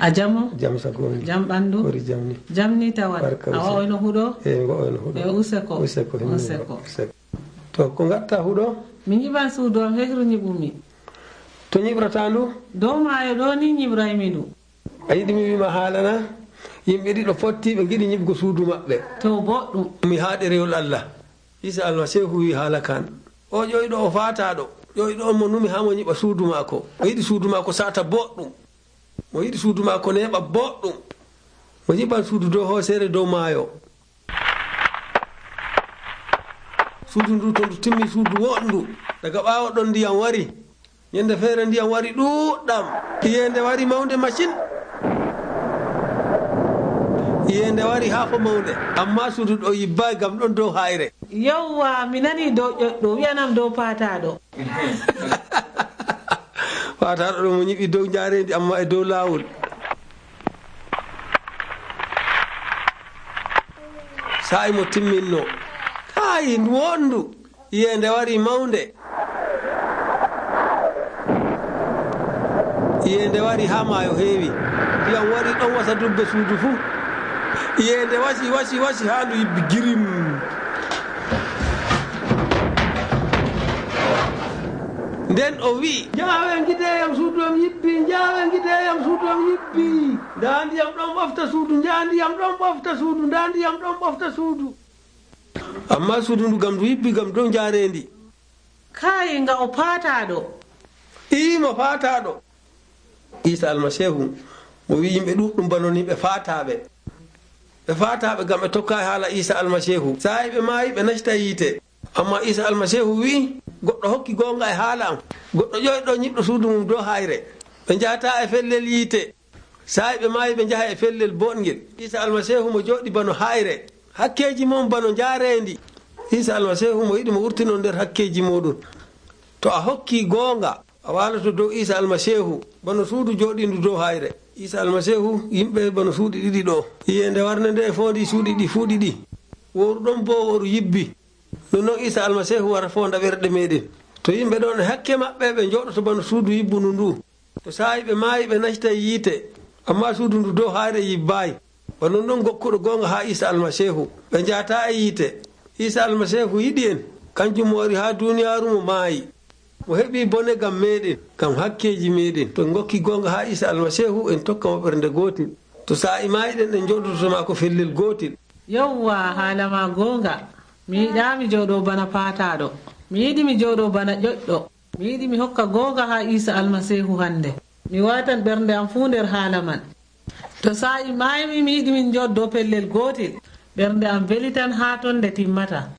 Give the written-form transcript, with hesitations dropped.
a jamo jam sagoni jam ɓandu ori jamni jamni tawan a wayno huɗo ngoyno huɗo useko to ko gatta huɗo mi ñiɓan suudu am hehru ñiɓumi to ñiɓrata ndu dow maayo ɗo ni ñiɓraymi ndu a yiɗi mi wima haalana yimɓe ɗiɗo potti ɓe giɗi ñiɓgo suudu maɓɓe to boɗɗum mi haaɗe rewol Allah Isa almasihu wi haala kan o ƴoyɗo o fataɗo ƴoyɗo on mo numi ha mo ñiɓa suudu maako o yiɗi suudu maako sata boɗɗum mo yiɗi suudu maako neɓa boɗɗum mo ñiɓan suudu dow hoosere dow maayo suudu ndu to ndu timmi suudu woɗndu daga ɓaawo ɗon ndiyam wari ñande feere ndiyam wari ɗuɗɗam iyende wari mawde machine iyende wari haa fo mawde amma suudu ɗo yibbayi gam ɗon dow hayre yawwa mi nani dow ƴoƴɗo wiyanam dow paataɗo paataɗo ɗo mo ñiɓi dow jaarendi amma e dow laawol sa'i mo timminno hayi ndu wondu iyende wari mawde iyende wari ha maayo heewi ndiyam wari ɗon wasa dubbe suudu fuu iyende wasi ha ndu yibbi girim nden o wi jaawen gideyam suudu am yibbi jaawen gideyam suudu am yibbi nda ndiyam ɗon ɓofta suudu nda ndiyam ɗon ɓofta suudu nda ndiyam ɗon ɓofta suudu amma suudu ndu gam ndu yibbi gam dow jaarendi kayi nga o paataɗo mo fataɗo Isa almasihu mo wi yimɓe ɗuɗɗum banoni ɓe fataɓe gam ɓe tokkayi haala Isa almasihu sa'i ɓe maayi ɓe nacita yiite amma Isa almasihu wi goɗɗo hokki gonga e haala am goɗɗo ƴoyɗo ñiɓɗo suudu mum dow hayre ɓe jahata e fellel yiite sa'i ɓe maayi ɓe jaha e fellel boɗgel Isa almasihu mo joɗi bano hayre hakkeji mum bano jaarendi Isa almasihu mo yiɗi mo wurtino nder hakkeji muɗum to a hokki gonga a walato dow Isa almasihu bano suudu joɗindu dow hayre Isa almasihu yimɓe bano suuɗi ɗiɗi ɗo iyende warne nde fondi suuɗi ɗi fuu ɗiɗi woru ɗon bo woru yibbi non Isa almasihu wara fonda ɓerɗe meɗen to yimɓe ɗon e hakke maɓɓe ɓe joɗoto bano suudu yibbunu ndu to sa'i ɓe maayi ɓe nacita yiite amma suudu ndu dow hayre yibbayi bano ɗon gokkuɗo gonga ha Isa almasihu ɓe jahata e yiite Isa almasihu yiɗi en kanjum mo wari ha duniyaru mo maayi mo heɓi bone gam meɗen gam hakkeji meɗen to gokki gonga ha Isa almasihu en tokka mo ɓernde gotel to sa'i mayiɗen en joɗotoma ko fellel gotel yawwa haalama gonga mi yiɗa mi jooɗo bana paataɗo mi yiɗi mi jooɗo bana ƴoƴɗo mi yiɗi mi hokka gonga ha Isa almasihu hande mi watan ɓernde am fuu nder haala man to sa'i maymi mi yiɗi min joddo pellel gotel ɓernde am weli tan ha ton nde timmata